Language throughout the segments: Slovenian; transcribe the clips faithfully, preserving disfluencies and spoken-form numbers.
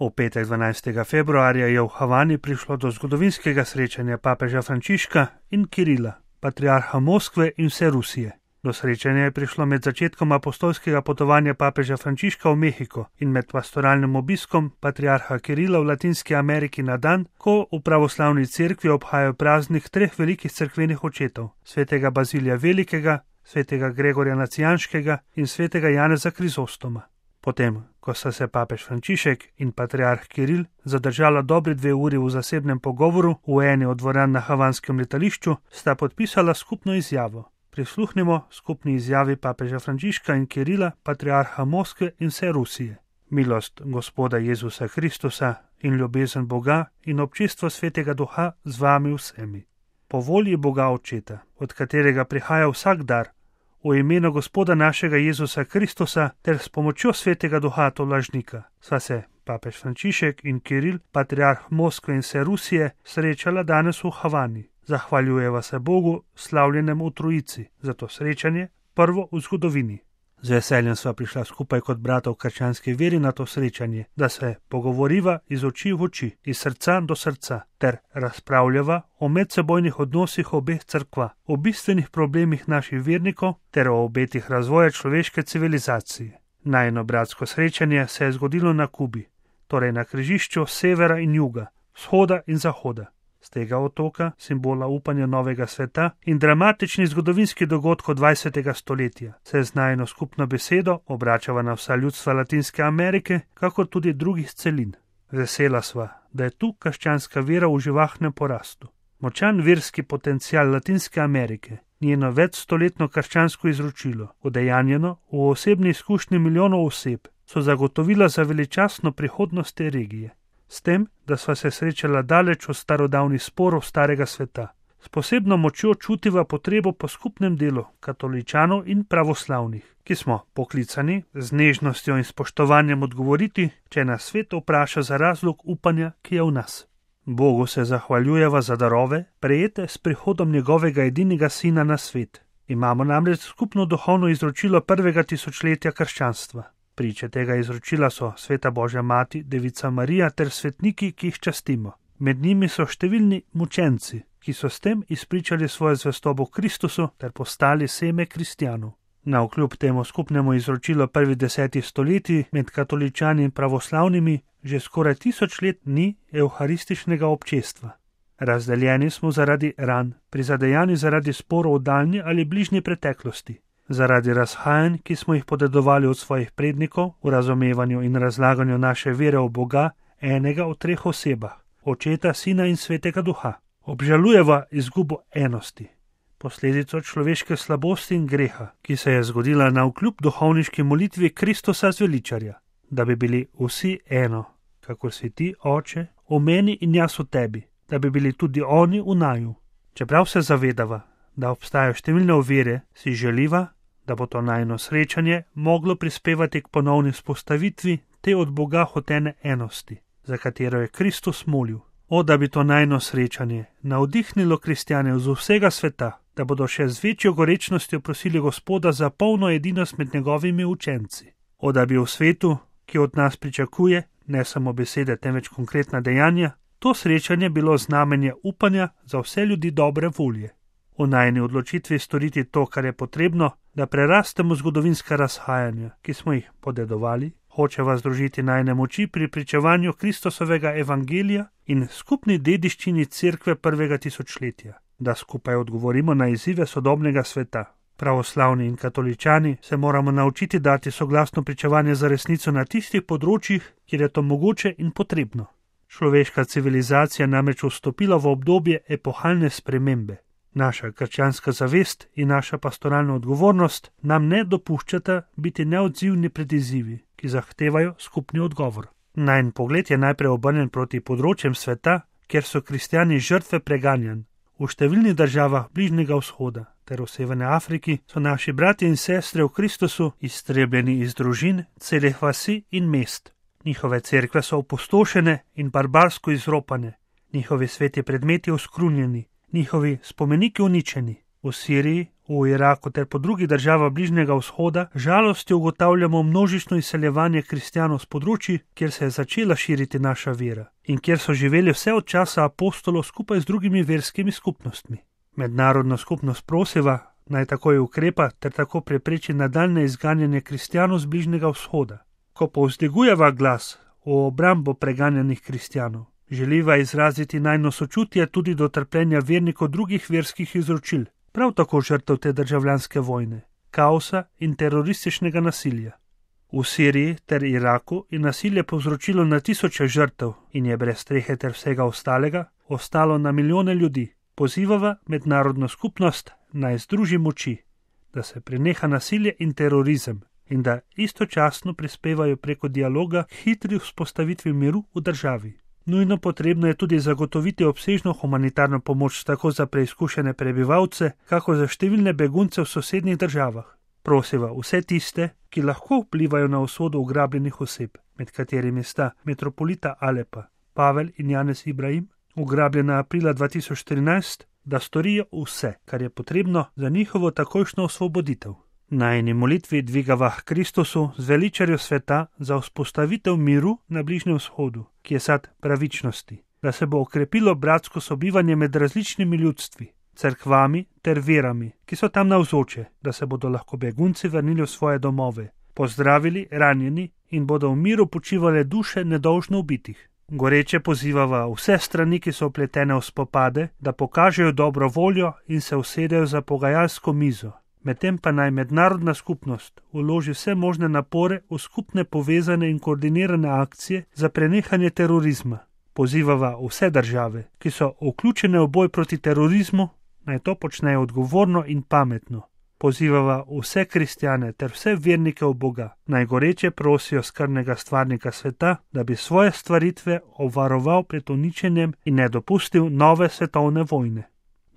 V petek dvanajstega februarja je v Havani prišlo do zgodovinskega srečanja papeža Frančiška in Kirila, patriarha Moskve in vse Rusije. Do srečanja je prišlo med začetkom apostolskega potovanja papeža Frančiška v Mehiko in med pastoralnim obiskom patriarha Kirila v Latinski Ameriki na dan, ko v pravoslavni cerkvi obhajajo praznik treh velikih cerkvenih očetov, svetega Bazilija Velikega, svetega Gregorja Nacijanskega in svetega Janeza Krizostoma. Potem, ko sta se papež Frančišek in patriarh Kiril zadržala dobri dve uri v zasebnem pogovoru v eni od dvoran na havanskem letališču, sta podpisala skupno izjavo. Prisluhnimo skupni izjavi papeža Frančiška in Kirila, patriarha Moskve in vse Rusije. Milost Gospoda Jezusa Kristusa in ljubezen Boga in občestvo Svetega Duha z vami vsemi. Po volji Boga Očeta, od katerega prihaja vsak dar, v imenu Gospoda našega Jezusa Kristusa ter s pomočjo Svetega Duha tolažnika, sva se papež Frančišek in Kiril, patriarh Moskve in vse Rusije, srečala danes v Havani. Zahvaljujeva se Bogu, slavljenemu v Trojici, za to srečanje, prvo v zgodovini. Z veseljem sva prišla skupaj kot brata v krščanski veri na to srečanje, da se pogovoriva iz oči v oči, iz srca do srca, ter razpravljava o medsebojnih odnosih obeh cerkva, o bistvenih problemih naših vernikov ter o obetih razvoja človeške civilizacije. Najino bratsko srečanje se je zgodilo na Kubi, torej na križišču severa in juga, vzhoda in zahoda. Z tega otoka, simbola upanja novega sveta in dramatični zgodovinski dogodkov dvajsetega stoletja, se z najino skupno besedo obračava na vsa ljudstva Latinske Amerike, kakor tudi drugih celin. Vesela sva, da je tu krščanska vera v živahnem porastu. Močan verski potencial Latinske Amerike, njeno večstoletno krščansko izročilo, udejanjeno v osebni izkušnji milijonov oseb, so zagotovila za veličastno prihodnost te regije. S tem, da sva se srečala daleč od starodavnih sporov starega sveta. S posebno močjo čutiva potrebo po skupnem delu katoličanov in pravoslavnih, ki smo poklicani z nežnostjo in spoštovanjem odgovoriti, če nas svet vpraša za razlog upanja, ki je v nas. Bogu se zahvaljujeva za darove, prejete s prihodom njegovega edinega sina na svet. Imamo namreč skupno duhovno izročilo prvega tisočletja krščanstva. Priče tega izročila so Sveta Božja Mati, Devica Marija ter svetniki, ki jih častimo. Med njimi so številni mučenci, ki so s tem izpričali svojo zvestobo Kristusu ter postali seme kristjanov. Navkljub temu skupnemu izročilu prvih desetih stoletij med katoličani in pravoslavnimi že skoraj tisoč let ni evharističnega občestva. Razdeljeni smo zaradi ran, prizadejani zaradi sporov v daljni ali bližnji preteklosti. Zaradi razhajanj, ki smo jih podedovali od svojih prednikov v razumevanju in razlaganju naše vere v Boga, enega v treh osebah, Očeta, Sina in Svetega Duha. Obžalujeva izgubo enosti, posledico človeške slabosti in greha, ki se je zgodila navkljub duhovniški molitvi Kristusa zveličarja, da bi bili vsi eno, kakor si ti, Oče, v meni in jaz v tebi, da bi bili tudi oni v naju. Čeprav se zavedava, da obstajajo številne ovire, si želiva, da bo to najino srečanje moglo prispevati k ponovni vzpostavitvi te od Boga hotene enosti, za katero je Kristus molil. O, da bi to najino srečanje navdihnilo kristjane z vsega sveta, da bodo še z večjo gorečnostjo prosili Gospoda za polno edinost med njegovimi učenci. O, da bi v svetu, ki od nas pričakuje, ne samo besede, temveč konkretna dejanja, to srečanje bilo znamenje upanja za vse ljudi dobre volje. V najini odločitvi storiti to, kar je potrebno, da prerastemo zgodovinska razhajanja, ki smo jih podedovali, hočeva združiti najine moči pri pričevanju Kristusovega evangelija in skupni dediščini cerkve prvega tisočletja, da skupaj odgovorimo na izzive sodobnega sveta. Pravoslavni in katoličani se moramo naučiti dati soglasno pričevanje za resnico na tistih področjih, kjer je to mogoče in potrebno. Človeška civilizacija namreč vstopila v obdobje epohalne spremembe. Naša krščanska zavest in naša pastoralna odgovornost nam ne dopuščata biti neodzivni pred izzivi, ki zahtevajo skupni odgovor. Najin pogled je najprej obrnjen proti področjem sveta, kjer so kristjani žrtve preganjanj. V številnih državah Bližnjega vzhoda ter v Severni Afriki so naši bratje in sestre v Kristusu iztrebljeni iz družin, celih vasi in mest. Njihove cerkve so opustošene in barbarsko izropane, njihovi sveti predmeti oskrunjeni, njihovi spomeniki uničeni. V Siriji, v v Iraku ter po drugih državah Bližnjega vzhoda, žalostjo ugotavljamo množično izseljevanje kristjanov s področji, kjer se je začela širiti naša vera in kjer so živeli vse od časa apostolov skupaj z drugimi verskimi skupnostmi. Mednarodna skupnost prosiva, naj takoj ukrepa ter tako prepreči nadaljne izganjanje kristjanov z Bližnjega vzhoda. Ko povzdigujeva glas o obrambo preganjanih kristjanov, želiva izraziti najno sočutje tudi do trpljenja vernikov drugih verskih izročil, prav tako žrtev te državljanske vojne, kaosa in terorističnega nasilja. V Siriji ter Iraku je nasilje povzročilo na tisoče žrtev in je brez strehe ter vsega ostalega ostalo na milijone ljudi. Pozivava mednarodno skupnost naj združi moči, da se preneha nasilje in terorizem in da istočasno prispevajo preko dialoga k hitri vzpostavitvi miru v državi. Nujno potrebno je tudi zagotoviti obsežno humanitarno pomoč tako za preizkušene prebivalce, kako za številne begunce v sosednjih državah. Prosiva vse tiste, ki lahko vplivajo na usodo ugrabljenih oseb, med katerimi sta metropolita Alepa, Pavel in Janez Ibrahim, ugrabljena aprila dva tisoč trinajst, da storijo vse, kar je potrebno za njihovo takojšnjo osvoboditev. Najini molitvi dvigava k Kristusu, zveličarju sveta, za vzpostavitev miru na Bližnjem vzhodu, ki je sad pravičnosti, da se bo okrepilo bratsko sobivanje med različnimi ljudstvi, cerkvami ter verami, ki so tam navzoče, da se bodo lahko begunci vrnili v svoje domove, pozdravili ranjeni in bodo v miru počivale duše nedolžno ubitih. Goreče pozivava vse strani, ki so vpletene v spopade, da pokažejo dobro voljo in se usedejo za pogajalsko mizo. Medtem pa naj mednarodna skupnost vloži vse možne napore v skupne povezane in koordinirane akcije za prenehanje terorizma. Pozivava vse države, ki so vključene v boj proti terorizmu, naj to počnejo odgovorno in pametno. Pozivava vse kristjane ter vse vernike v Boga, naj goreče prosijo skrbnega stvarnika sveta, da bi svoje stvaritve obvaroval pred uničenjem in ne dopustil nove svetovne vojne.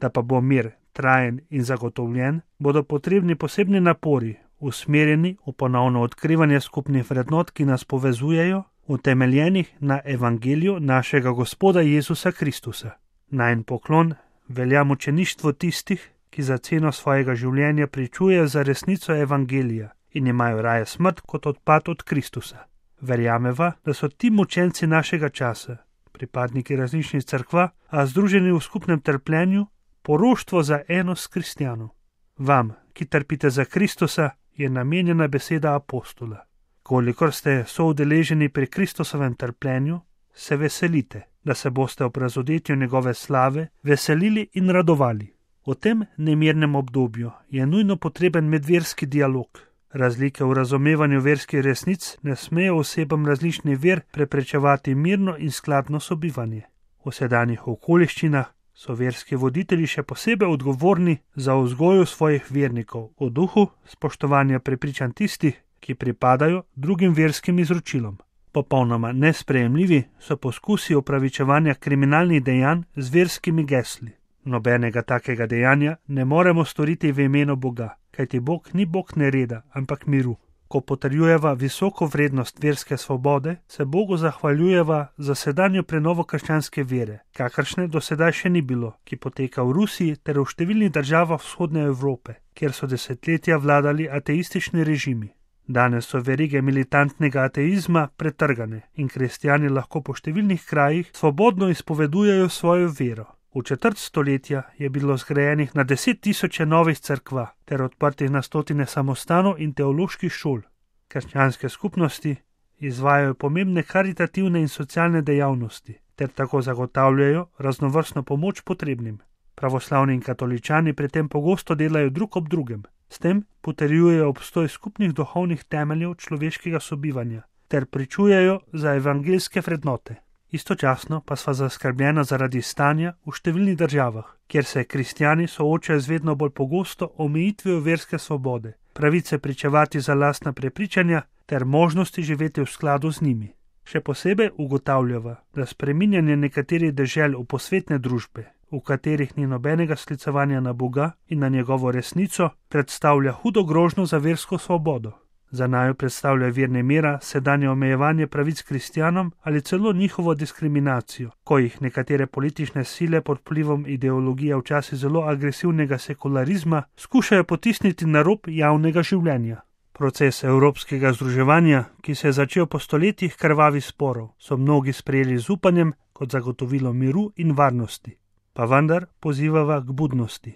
Da pa bo mir trajen in zagotovljen, bodo potrebni posebni napori, usmerjeni v ponovno odkrivanje skupnih vrednot, ki nas povezujejo, utemeljenih na evangeliju našega Gospoda Jezusa Kristusa. Najin poklon velja mučeništvu tistih, ki za ceno svojega življenja pričujejo za resnico evangelija in imajo raje smrt kot odpad od Kristusa. Verjameva, da so ti mučenci našega časa, pripadniki različnih cerkva, a združeni v skupnem trpljenju, poroštvo za enost kristjanov. Vam, ki trpite za Kristusa, je namenjena beseda apostola. Kolikor ste soudeleženi pri Kristusovem trpljenju, se veselite, da se boste ob razodetju njegove slave veselili in radovali. V tem nemirnem obdobju je nujno potreben medverski dialog. Razlike v razumevanju verskih resnic ne smejo osebam različnih ver preprečevati mirno in skladno sobivanje. V sedanjih okoliščinah so verski voditelji še posebej odgovorni za vzgojo svojih vernikov v duhu spoštovanja prepričanj tistih, ki pripadajo drugim verskim izročilom. Popolnoma nesprejemljivi so poskusi opravičevanja kriminalnih dejanj z verskimi gesli. Nobenega takega dejanja ne moremo storiti v imenu Boga, kajti Bog ni Bog nereda, ampak miru. Ko potrjujeva visoko vrednost verske svobode, se Bogu zahvaljujeva za sedanjo prenovo krščanske vere, kakršne do sedaj še ni bilo, ki poteka v Rusiji ter v številnih državah vzhodne Evrope, kjer so desetletja vladali ateistični režimi. Danes so verige militantnega ateizma pretrgane in kristjani lahko po številnih krajih svobodno izpovedujejo svojo vero. V četrt stoletja je bilo zgrajenih na deset tisoče novih cerkva ter odprtih na stotine samostanov in teoloških šol. Krščanske skupnosti izvajajo pomembne karitativne in socialne dejavnosti ter tako zagotavljajo raznovrstno pomoč potrebnim. Pravoslavni in katoličani pri tem pogosto delajo drug ob drugem. S tem potrjujejo obstoj skupnih duhovnih temeljev človeškega sobivanja ter pričujejo za evangeljske vrednote. Istočasno pa sva zaskrbljena zaradi stanja v številnih državah, kjer se kristjani soočajo z vedno bolj pogosto omejitvijo verske svobode, pravice pričevati za lastna prepričanja ter možnosti živeti v skladu z njimi. Še posebej ugotavljava, da spreminjanje nekaterih dežel v posvetne družbe, v katerih ni nobenega sklicevanja na Boga in na njegovo resnico, predstavlja hudo grožnjo za versko svobodo. Za naju predstavlja vir nemira, sedanje omejevanje pravic kristjanom ali celo njihovo diskriminacijo, ko jih nekatere politične sile pod vplivom ideologije včasih zelo agresivnega sekularizma skušajo potisniti na rob javnega življenja. Proces evropskega združevanja, ki se je začel po stoletjih krvavih sporov, so mnogi sprejeli z upanjem kot zagotovilo miru in varnosti. Pa vendar pozivava k budnosti,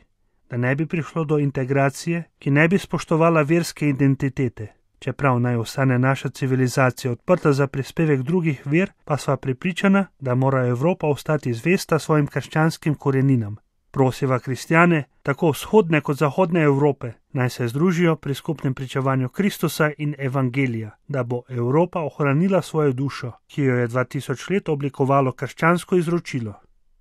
da ne bi prišlo do integracije, ki ne bi spoštovala verske identitete. Čeprav naj ostane naša civilizacija odprta za prispevek drugih ver, pa sva prepričana, da mora Evropa ostati zvesta svojim krščanskim koreninam. Prosiva kristjane, tako vzhodne kot zahodne Evrope, naj se združijo pri skupnem pričevanju Kristusa in Evangelija, da bo Evropa ohranila svojo dušo, ki jo je dva tisoč let oblikovalo krščansko izročilo.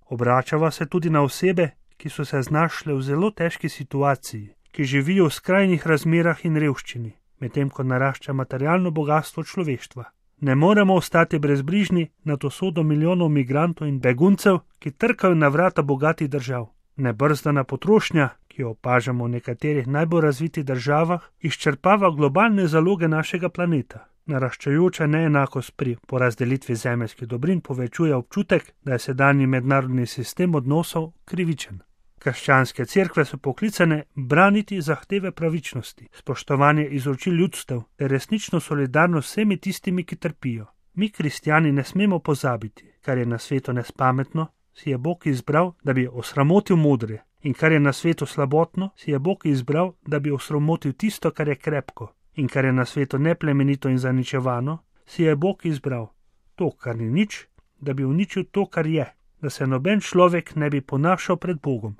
Obračava se tudi na osebe, ki so se znašle v zelo težki situaciji, ki živijo v skrajnih razmerah in revščini, medtem ko narašča materialno bogatstvo človeštva. Ne moremo ostati brezbrižni nad usodo milijonov migrantov in beguncev, ki trkajo na vrata bogatih držav. Nebrzdana potrošnja, ki jo opažamo v nekaterih najbolj razvitih državah, izčrpava globalne zaloge našega planeta. Naraščajoča neenakost pri porazdelitvi zemeljskih dobrin povečuje občutek, da je sedanji mednarodni sistem odnosov krivičen. Krščanske cerkve so poklicane braniti zahteve pravičnosti, spoštovanje izročil ljudstev ter resnično solidarnost s vsemi tistimi, ki trpijo. Mi, kristjani, ne smemo pozabiti, kar je na svetu nespametno, si je Bog izbral, da bi osramotil modre, in kar je na svetu slabotno, si je Bog izbral, da bi osramotil tisto, kar je krepko, in kar je na svetu neplemenito in zaničevano, si je Bog izbral to, kar ni nič, da bi uničil to, kar je, da se noben človek ne bi ponašal pred Bogom.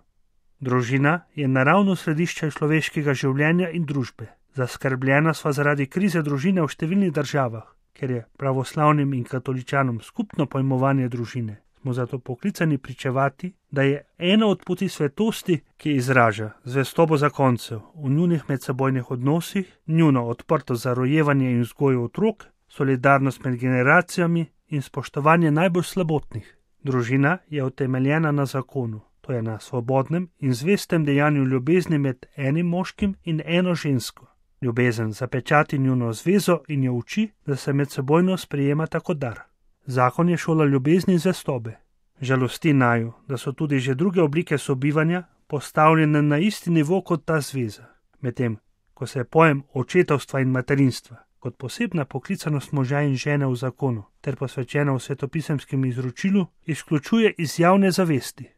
Družina je naravno središče človeškega življenja in družbe. Zaskrbljena sva zaradi krize družine v številnih državah, ker je pravoslavnim in katoličanom skupno pojmovanje družine. Smo zato poklicani pričevati, da je ena od poti svetosti, ki izraža zvestobo zakoncev v njunih medsebojnih odnosih, njuno odprto za rojevanje in vzgojo otrok, solidarnost med generacijami in spoštovanje najbolj slabotnih. Družina je utemeljena na zakonu. To je na svobodnem in zvestem dejanju ljubezni med enim moškim in eno žensko. Ljubezen zapečati njuno zvezo in jo uči, da se medsebojno sprejemata kot dar. Zakon je šola ljubezni in zvestobe. Žalosti naju, da so tudi že druge oblike sobivanja postavljene na isti nivo kot ta zveza, medtem ko se pojem očetovstva in materinstva kot posebna poklicanost moža in žene v zakonu ter posvečena v svetopisemskem izročilu izključuje iz javne zavesti.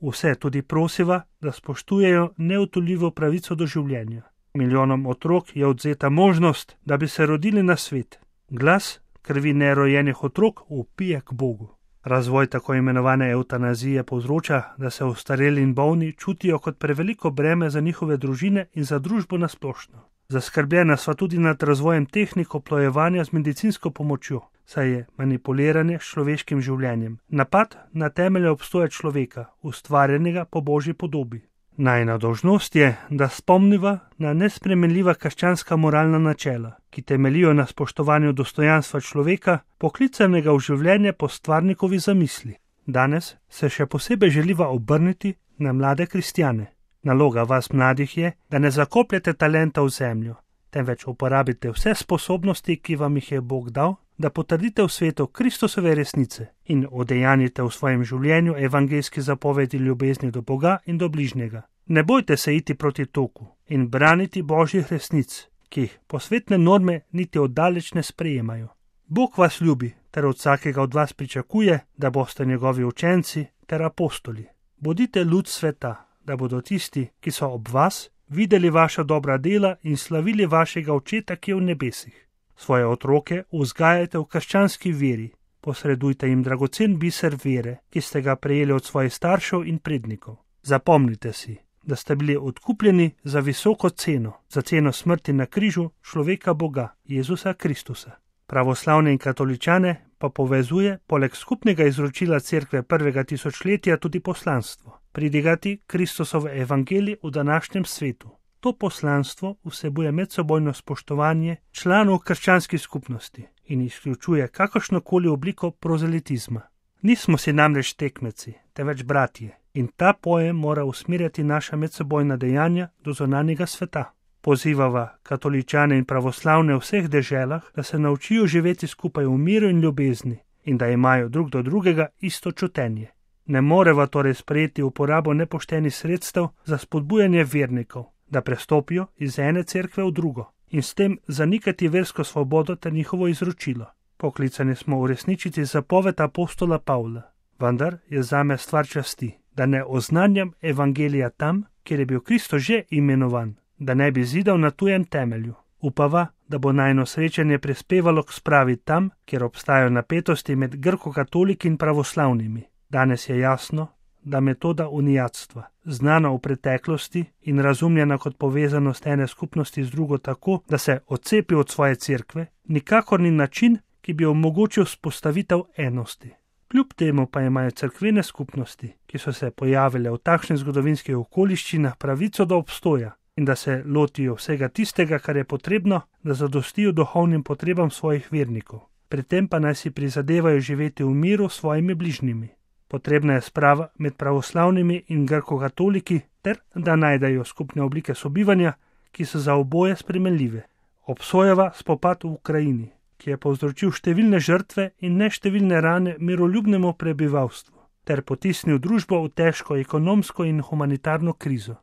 Vse tudi prosiva, da spoštujejo neodtujljivo pravico do življenja. Milijonom otrok je odzeta možnost, da bi se rodili na svet. Glas krvi nerojenih otrok vpije k Bogu. Razvoj tako imenovane evtanazije povzroča, da se ostareli in bolni čutijo kot preveliko breme za njihove družine in za družbo nasplošno. Zaskrbljena sva tudi nad razvojem tehnik oplojevanja z medicinsko pomočjo, saj je manipuliranje s človeškim življenjem napad na temelje obstoja človeka, ustvarjenega po Božji podobi. Najina dolžnost je, da spomniva na nespremenljiva krščanska moralna načela, ki temeljijo na spoštovanju dostojanstva človeka, poklicanega v življenje po stvarnikovi zamisli. Danes se še posebej želiva obrniti na mlade kristjane. Naloga vas mladih je, da ne zakopljete talenta v zemljo, temveč uporabite vse sposobnosti, ki vam jih je Bog dal, da potrdite v svetu Kristusove resnice in udejanjite v svojem življenju evangeljski zapovedi ljubezni do Boga in do bližnjega. Ne bojte se iti proti toku in braniti Božjih resnic, ki jih posvetne norme niti oddaleč ne sprejemajo. Bog vas ljubi ter od vsakega od vas pričakuje, da boste njegovi učenci ter apostoli. Bodite luč sveta, da bodo tisti, ki so ob vas, videli vaša dobra dela in slavili vašega Očeta, ki je v nebesih. Svoje otroke vzgajajte v krščanski veri, posredujte jim dragocen biser vere, ki ste ga prejeli od svojih staršev in prednikov. Zapomnite si, da ste bili odkupljeni za visoko ceno, za ceno smrti na križu človeka Boga, Jezusa Kristusa. Pravoslavne in katoličane pa povezuje poleg skupnega izročila cerkve prvega tisočletja tudi poslanstvo, pridigati Kristusov evangelij v današnjem svetu. To poslanstvo vsebuje medsebojno spoštovanje članov krščanskih skupnosti in izključuje kakršnokoli obliko prozelitizma. Nismo si namreč tekmeci, temveč bratje, in ta pojem mora usmerjati naša medsebojna dejanja do zunanjega sveta. Pozivava katoličane in pravoslavne v vseh deželah, da se naučijo živeti skupaj v miru in ljubezni in da imajo drug do drugega isto čutenje. Ne moreva torej sprejeti uporabo nepoštenih sredstev za spodbujanje vernikov, da prestopijo iz ene cerkve v drugo in s tem zanikati versko svobodo ter njihovo izročilo. Poklicani smo uresničiti zapoved apostola Pavla, vendar je zame stvar časti, da ne oznanjam evangelija tam, kjer je bil Kristus že imenovan, da ne bi zidal na tujem temelju. Upava, da bo najino srečanje prispevalo k spravi tam, kjer obstajajo napetosti med grko-katoliki in pravoslavnimi. Danes je jasno, da metoda unijatstva, znana v preteklosti in razumljena kot povezanost ene skupnosti z drugo tako, da se odcepi od svoje cerkve, nikakor ni način, ki bi omogočil vzpostavitev enosti. Kljub temu pa imajo cerkvene skupnosti, ki so se pojavile v takšnih zgodovinskih okoliščinah, pravico do obstoja in da se lotijo vsega tistega, kar je potrebno, da zadostijo duhovnim potrebam svojih vernikov. Pri tem pa naj si prizadevajo živeti v miru s svojimi bližnjimi. Potrebna je sprava med pravoslavnimi in grko-katoliki ter da najdejo skupne oblike sobivanja, ki so za oboje spremenljive. Obsojava spopad v Ukrajini, ki je povzročil številne žrtve in neštevilne rane miroljubnemu prebivalstvu, ter potisnil družbo v težko ekonomsko in humanitarno krizo.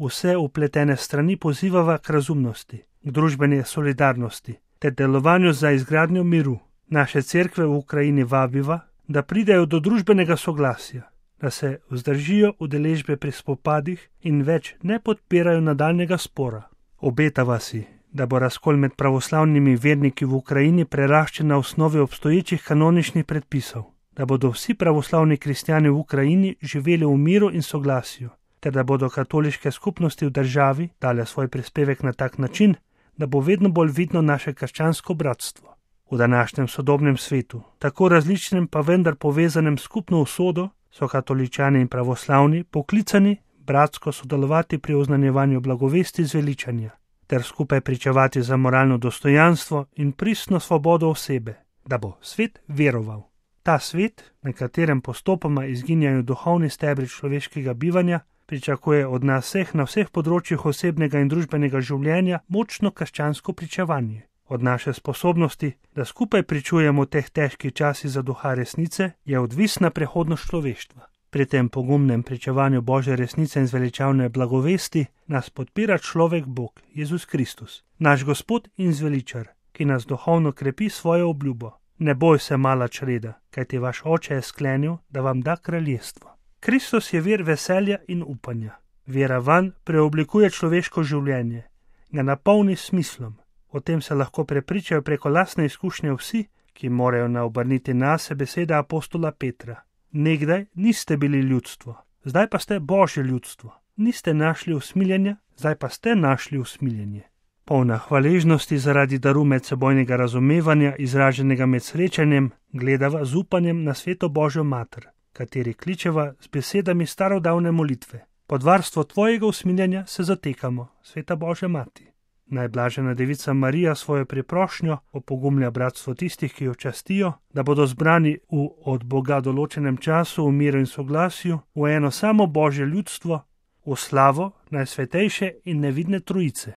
Vse upletene strani pozivava k razumnosti, k družbeni solidarnosti ter delovanju za izgradnjo miru. Naše cerkve v Ukrajini vabiva, da pridejo do družbenega soglasja, da se vzdržijo udeležbe pri spopadih in več ne podpirajo nadaljnega spora. Obetava si, da bo razkol med pravoslavnimi verniki v Ukrajini preraščen na osnovi obstoječih kanoničnih predpisov, da bodo vsi pravoslavni kristjani v Ukrajini živeli v miru in soglasju, ter da bodo katoliške skupnosti v državi dale svoj prispevek na tak način, da bo vedno bolj vidno naše krščansko bratstvo. V današnjem sodobnem svetu, tako različnem pa vendar povezanem skupno usodo, so katoličani in pravoslavni poklicani bratsko sodelovati pri oznanjevanju blagovesti zveličanja, ter skupaj pričevati za moralno dostojanstvo in pristno svobodo osebe, da bo svet veroval. Ta svet, na katerem postopoma izginjajo duhovni stebri človeškega bivanja, pričakuje od nas vseh na vseh področjih osebnega in družbenega življenja močno krščansko pričevanje. Od naše sposobnosti, da skupaj pričujemo v teh težkih časih za duha resnice, je odvisna prihodnost človeštva. Pri tem pogumnem pričevanju Božje resnice in zveličavne blagovesti nas podpira človek Bog, Jezus Kristus, naš Gospod in zveličar, ki nas duhovno krepi svojo obljubo. Ne boj se, mala čreda, kajti vaš oče je sklenil, da vam da kraljestvo. Kristus je vir veselja in upanja. Vera vanj preoblikuje človeško življenje, ga napolni s smislom. O tem se lahko prepričajo preko lastne izkušnje vsi, ki morajo naobrniti nase besede apostola Petra. Nekdaj niste bili ljudstvo, zdaj pa ste Božje ljudstvo. Niste našli usmiljenja, zdaj pa ste našli usmiljenje. Polna hvaležnosti zaradi daru medsebojnega razumevanja, izraženega med srečanjem, gledava z upanjem na sveto Božjo mater, kateri kličeva z besedami starodavne molitve. Pod varstvo tvojega usmiljenja se zatekamo, sveta Božja mati. Najblažena devica Marija svojo priprošnjo opogumlja bratstvo tistih, ki jo častijo, da bodo zbrani v od Boga določenem času v miru in soglasju, v eno samo Božje ljudstvo, v slavo Najsvetejše in nevidne Trojice.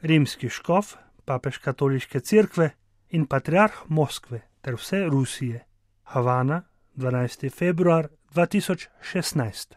Rimski škof, papež katoliške cerkve in patriarh Moskve ter vse Rusije. Havana, dvanajsti februar dva tisoč šestnajst.